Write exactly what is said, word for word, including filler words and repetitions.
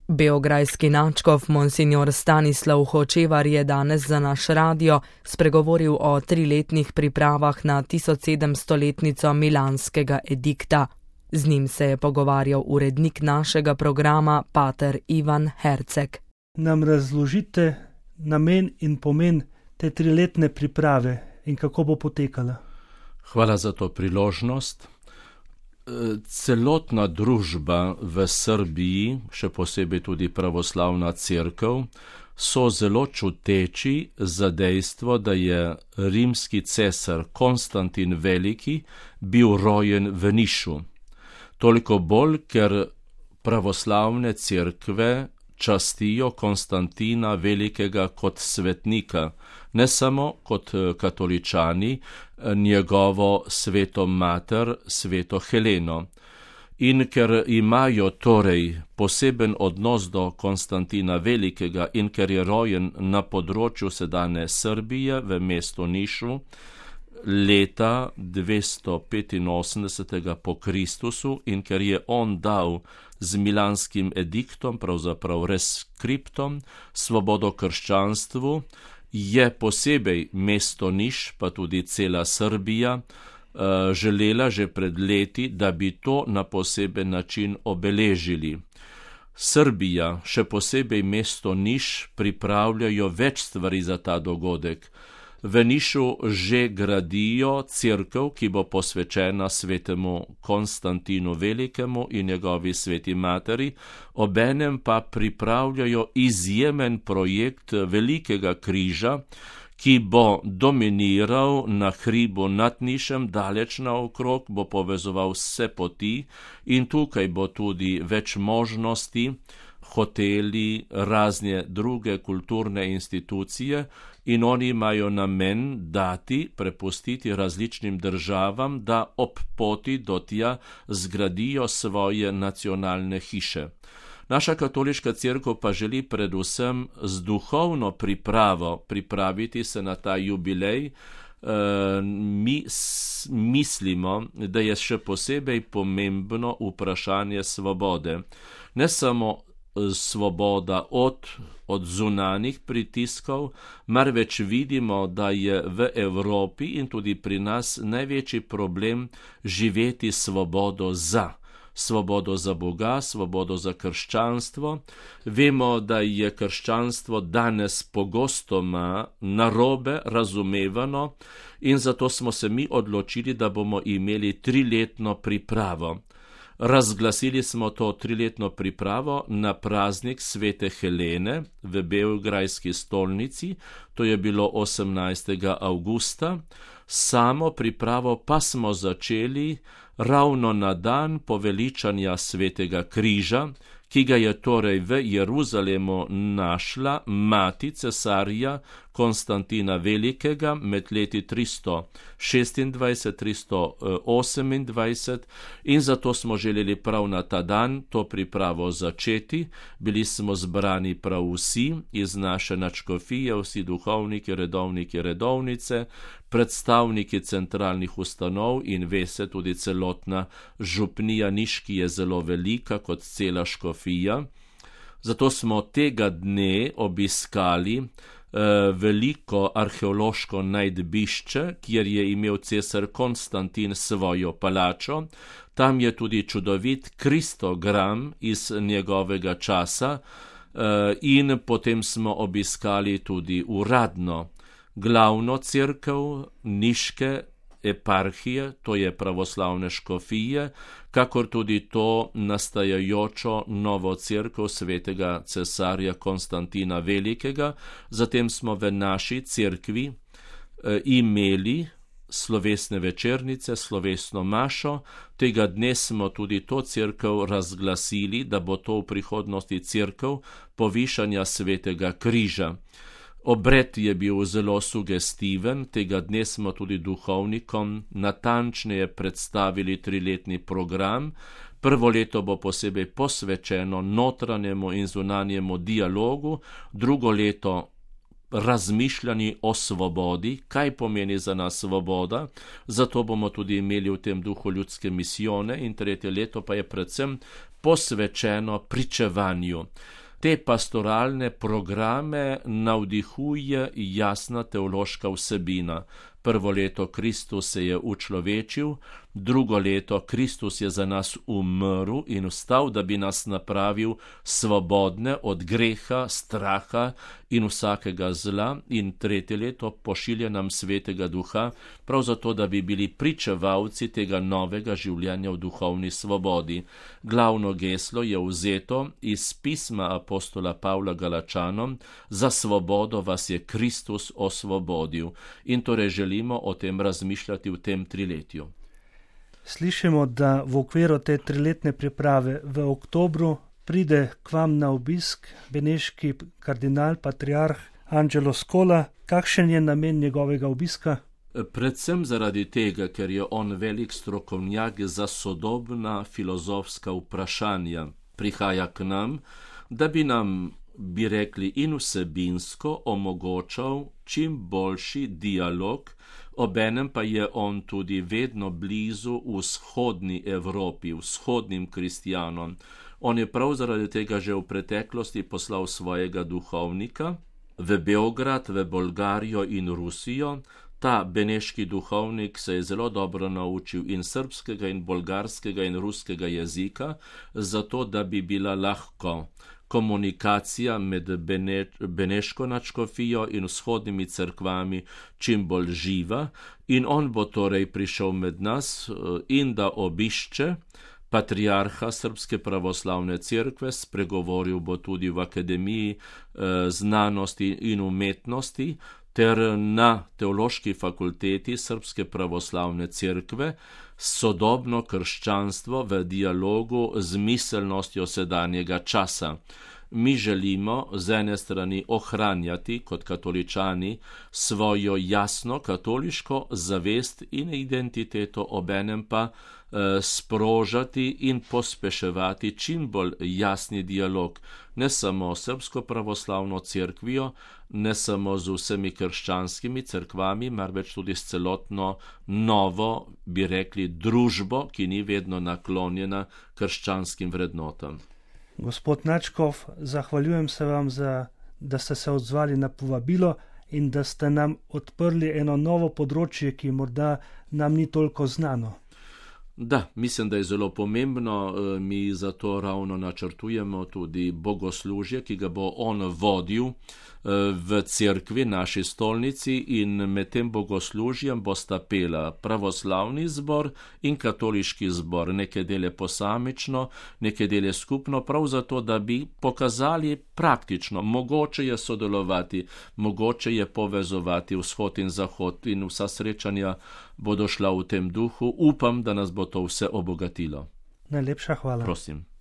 Beograjski nadškof monsignor Stanislav Hočevar je danes za naš radio spregovoril o triletnih pripravah na tisočsedemstoletnico Milanskega edikta. Z njim se je pogovarjal urednik našega programa, pater Ivan Herceg. Nam razložite namen in pomen te triletne priprave in kako bo potekala? Hvala za to priložnost. Celotna družba v Srbiji, še posebej tudi pravoslavna cerkev, so zelo čuteči za dejstvo, da je rimski cesar Konstantin Veliki bil rojen v Nišu. Toliko bolj, ker pravoslavne cerkve častijo Konstantina Velikega kot svetnika, ne samo kot katoličani, njegovo sveto mater, sveto Heleno. In ker imajo torej poseben odnos do Konstantina Velikega in ker je rojen na področju sedanje Srbije v mestu Nišu, leta dvesto petinosemdeset po Kristusu, in ker je on dal z Milanskim ediktom, pravzaprav reskriptom, svobodo krščanstvu, je posebej mesto Niš, pa tudi cela Srbija, želela že pred leti, da bi to na poseben način obeležili. Srbija, še posebej mesto Niš, pripravljajo več stvari za ta dogodek. V Nišu že gradijo cerkev, ki bo posvečena svetemu Konstantinu Velikemu in njegovi sveti materi, obenem pa pripravljajo izjemen projekt velikega križa, ki bo dominiral na hribu nad Nišem, daleč naokrog, bo povezoval vse poti in tukaj bo tudi več možnosti, hoteli, razne druge kulturne institucije, in oni imajo namen dati, prepustiti različnim državam, da ob poti do tja zgradijo svoje nacionalne hiše. Naša katoliška cerkev pa želi predvsem z duhovno pripravo pripraviti se na ta jubilej. E, mi s, mislimo, da je še posebej pomembno vprašanje svobode. Ne samo svoboda od, od zunanih pritiskov, marveč vidimo, da je v Evropi in tudi pri nas največji problem živeti svobodo za. Svobodo za Boga, svobodo za krščanstvo. Vemo, da je krščanstvo danes pogostoma narobe razumevano in zato smo se mi odločili, da bomo imeli triletno pripravo. Razglasili smo to triletno pripravo na praznik svete Helene v beograjski stolnici, to je bilo osemnajstega avgusta. Samo pripravo pa smo začeli ravno na dan poveličanja svetega križa, ki ga je torej v Jeruzalemu našla mati cesarja Konstantina Velikega med leti tristo šestindvajset tristo osemindvajset, in zato smo želeli prav na ta dan to pripravo začeti. Bili smo zbrani prav vsi iz naše nadškofije, vsi duhovniki, redovniki, redovnice, predstavniki centralnih ustanov in ve se tudi celotna župnija Niš, ki je zelo velika kot cela škofija. Zato smo tega dne obiskali eh, veliko arheološko najdbišče, kjer je imel cesar Konstantin svojo palačo. Tam je tudi čudovit kristogram iz njegovega časa eh, in potem smo obiskali tudi uradno glavno cerkev Niške eparhije, to je pravoslavne škofije, kakor tudi to nastajajočo novo cerkev svetega cesarja Konstantina Velikega. Zatem smo v naši cerkvi e, imeli slovesne večernice, slovesno mašo. Tega dne smo tudi to cerkev razglasili, da bo to v prihodnosti cerkev povišanja svetega križa. Obred je bil zelo sugestiven, tega dne smo tudi duhovnikom natančneje predstavili triletni program. Prvo leto bo posebej posvečeno notranjemu in zunanjemu dialogu, drugo leto razmišljanji o svobodi, kaj pomeni za nas svoboda, zato bomo tudi imeli v tem duhu ljudske misijone, in tretje leto pa je predvsem posvečeno pričevanju. Te pastoralne programe navdihuje jasna teološka vsebina. Prvo leto Kristus se je učlovečil, drugo leto Kristus je za nas umrl in vstal, da bi nas napravil svobodne od greha, straha in vsakega zla, in tretje leto pošilja nam Svetega Duha, prav zato, da bi bili pričevalci tega novega življenja v duhovni svobodi. Glavno geslo je vzeto iz pisma apostola Pavla Galačanom: za svobodo vas je Kristus osvobodil. In torej želimo o tem razmišljati v tem triletju. Slišimo, da v okviru te triletne priprave v oktobru pride k vam na obisk beneški kardinal, patriarh Angelo Scola. Kakšen je namen njegovega obiska? Predvsem zaradi tega, ker je on velik strokovnjak za sodobna filozofska vprašanja. Prihaja k nam, da bi nam, bi rekli, in vsebinsko omogočal čim boljši dialog, obenem pa je on tudi vedno blizu vzhodni Evropi, vzhodnim kristjanom. On je prav zaradi tega že v preteklosti poslal svojega duhovnika v Beograd, v Bolgarijo in Rusijo. Ta beneški duhovnik se je zelo dobro naučil in srbskega, in bolgarskega, in ruskega jezika, zato da bi bila lahko komunikacija med Bene, beneško nadškofijo in vzhodnimi cerkvami čim bolj živa, in on bo torej prišel med nas in da obišče patriarha Srpske pravoslavne cerkve, spregovoril bo tudi v Akademiji eh, znanosti in umetnosti ter na Teološki fakulteti Srpske pravoslavne cerkve, sodobno krščanstvo v dialogu z miselnostjo sedanjega časa. Mi želimo z ene strani ohranjati kot katoličani svojo jasno katoliško zavest in identiteto, obenem pa eh, sprožati in pospeševati čim bolj jasni dialog, ne samo s Srpsko pravoslavno cerkvijo, ne samo z vsemi krščanskimi cerkvami, marveč tudi s celotno novo, bi rekli, družbo, ki ni vedno naklonjena krščanskim vrednotam. Gospod Nadškof, zahvaljujem se vam, za, da ste se odzvali na povabilo in da ste nam odprli eno novo področje, ki morda nam ni toliko znano. Da, mislim, da je zelo pomembno. Mi zato ravno načrtujemo tudi bogoslužje, ki ga bo on vodil v cerkvi, naši stolnici, in med tem bogoslužjem bosta pela pravoslavni zbor in katoliški zbor, neke dele posamično, neke dele skupno, prav zato, da bi pokazali praktično, mogoče je sodelovati, mogoče je povezovati vzhod in zahod, in vsa srečanja bodo šla v tem duhu. Upam, da nas bo to vse obogatilo. Najlepša hvala. Prosim.